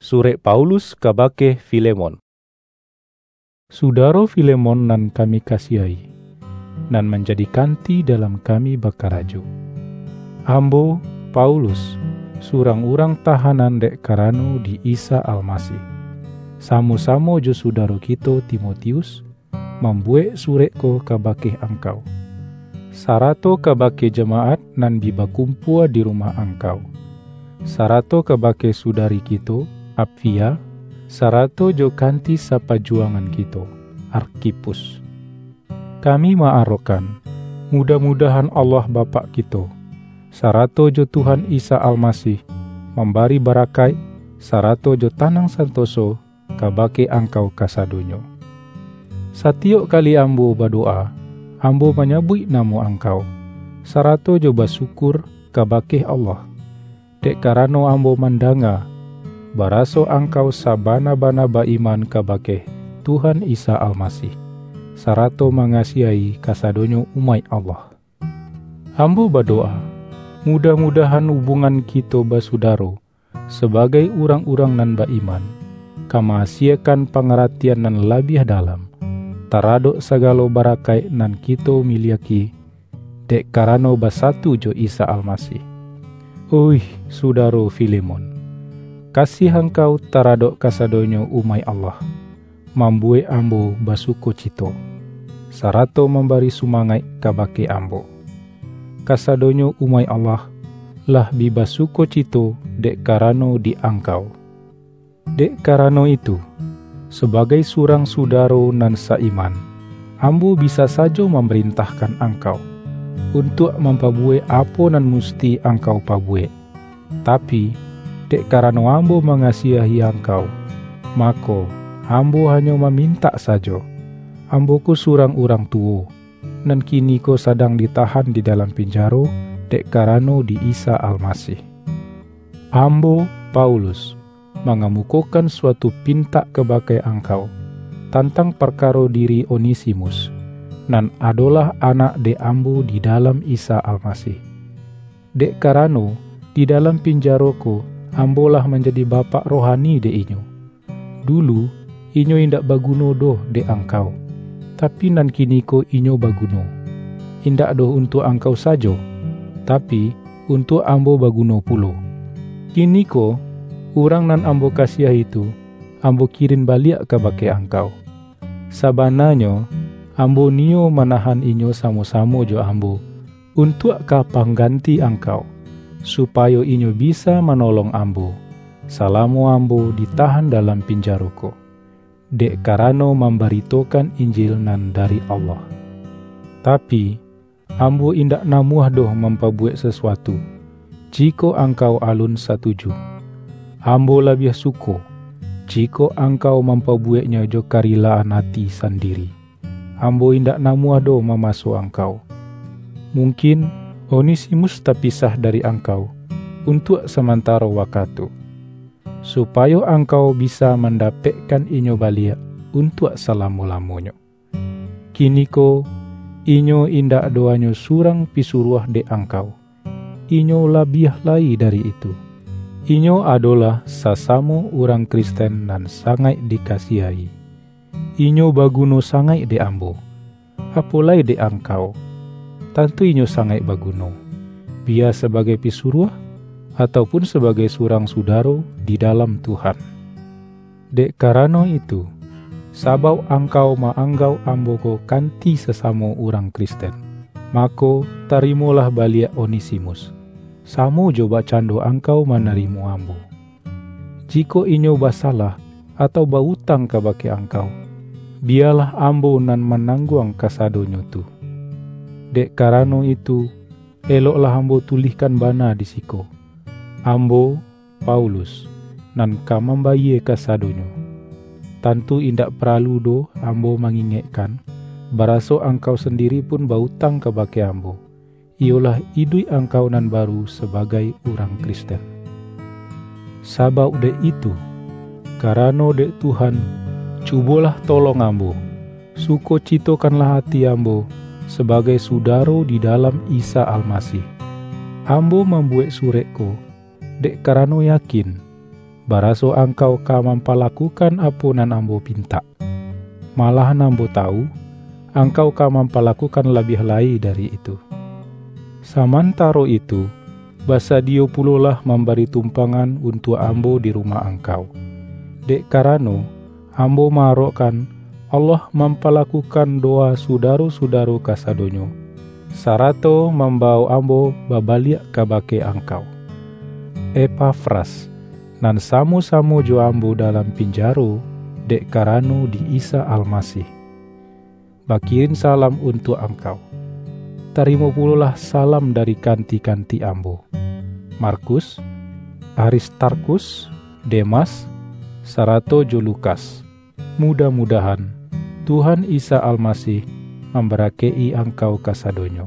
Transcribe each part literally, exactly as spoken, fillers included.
Surek Paulus kabake Filemon. Sudaro Filemon nan kami kasiahi, nan manjadi kanti dalam kami bakarajo. Ambo, Paulus, surang urang tahanan dek karano di Isa Almasih, samo-samo jo sudaro kito Timotius, mambuwek surek ko kabake angkau, sarato kabake jamaat nan bi bakumpua di rumah angkau, sarato kabake sudari kito, Apfia, sarato jo kanti sapajuwangan kito, Arkhipus. Kami ma-arokan, mudah-mudahan Allah Bapak kito, sarato jo Tuhan Isa Almasih, mambari barakaik, sarato jo tanang santoso, kabake angkau kasadonyo. Satiyok kali ambo badowa, ambo manyabuik namo angkau, sarato jo basyukur kabake Allah, dek karano ambo mandanga, baraso angkau sabana-bana ba-iman kabake Tuhan Isa Almasih, sarato mangasiahi kasadonyo umaik Allah. Ambo badowa, mudah-mudahan hubungan kito basudaro, sabagai urang-urang nan ba-iman, ka ma-asiekan pangaratian nan labiah dalam, taradok sagalo barakaik nan kito miliaki, dek karano basatu jo Isa Almasih. Oih, sudaro Filemon, kasiah angkau taradok kasadonyo umaik Allah, mambuwek ambo basukocito, sarato mambari sumangaik kabake ambo. Kasadonyo umaik Allah lah bi basukocito dek karano di angkau. Dek karano itu, sabagai surang sudaro nan sa-iman, ambo bisa sajo mamarintahkan angkau, untuak mampabuwek apo nan musti angkau pabuwek. Tapi, dek karano ambo mangasiahi angkau, mako, ambo hanyo mamintak sajo. Ambo ko surang urang tuwo, nan kiniko sadang ditahan di dalam pinjaro dek karano di Isa Almasih. Ambo, Paulus, mangamukokan suatu pintak kabake angkau, tantang parkaro diri Onesimus, nan adolah anak dek ambo di dalam Isa Almasih. Dek karano, di dalam pinjaro ko, ambo lah manjadi bapak rohani dek inyo. Dulu, inyo indak baguno doh dek angkau, tapi nan kiniko inyo baguno, indak doh untuak angkau sajo, tapi, untuak ambo baguno pulo. Kiniko, urang nan ambo kasiahi tu, ambo kirin baliak kabake angkau. Sabananyo, ambo niyo manahan inyo samo-samo jo ambo, untuak ka pangganti angkau, supayo inyo bisa manolong ambo, salamo ambo ditahan dalam pinjaro ko, dek karano mambaritokan Injil nan dari Allah. Tapi, ambo indak namuah doh mampabuwek sasuatu, jikok angkau alun satuju. Ambo labiah suko, jikok angkau mampabuweknyo jo karilaan ati sandiri. Ambo indak namuah doh mamaso angkau. Mungkin, Onesimus tapisah dari angkau, untuak samantaro wakatu, supayo angkau bisa mandapekkan inyo baliak untuak salamo-lamonyo. Kiniko, inyo indak doh hanyo surang pisuruah dek angkau. Inyo labiah lai dari itu. Inyo adolah sasamo urang Kristen nan sangaik dikasiahi. Inyo baguno sangaik dek ambo, apo lai dek angkau. Tantu inyo sangaik baguno, biya sabagai pisuruah, atau pun sabagai surang sudaro di dalam Tuhan. Dek karano itu, sabauk angkau ma-anggauk ambo ko kanti sasamo urang Kristen, mako, tarimolah baliak Onesimus, samo jo bakcando angkau manarimo ambo. Jikok inyo basalah atau ba-utang kabake angkau, biyalah ambo nan manangguang kasadonyo tu. Dek karano itu, eloklah ambo tulihkan bana di siko, ambo, Paulus, nan ka mambayie kasadonyo. Tantu indak paralu doh ambo mangingekkan, baraso angkau sandiri pun ba-utang kabake ambo, iyolah iduik angkau nan baru sabagai urang Kristen. Sabauk dek itu, karano dek Tuhan, cubolah tolong ambo, sukocitokanlah ati ambo sabagai sudaro di dalam Isa Almasih. Ambo mambuwek surek ko, dek karano yakin, baraso angkau ka mampalakukan apo nan ambo pintak. Malahan ambo tawu, angkau ka mampalakukan labiah lai dari itu. Samantaro itu, basadiyo pulolah mambari tumpangan untuak ambo di rumah angkau. Dek karano, ambo maarokkan Allah mampalakukan dowa sudaro-sudaro kasadonyo, sarato mambawok ambo babaliak kabake angkau. Epafras, nan samo-samo jo ambo dalam pinjaro dek karano di Isa Almasih, bakirin salam untuak angkau. Tarimo pulolah salam dari kanti-kanti ambo, Markus, Aristarkus, Demas, sarato jo Lukas. Mudah-mudahan Tuhan Isa Almasih mambarakaik-i angkau kasadonyo.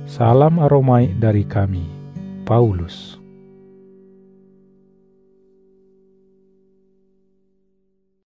Salam aromaik dari kami, Paulus.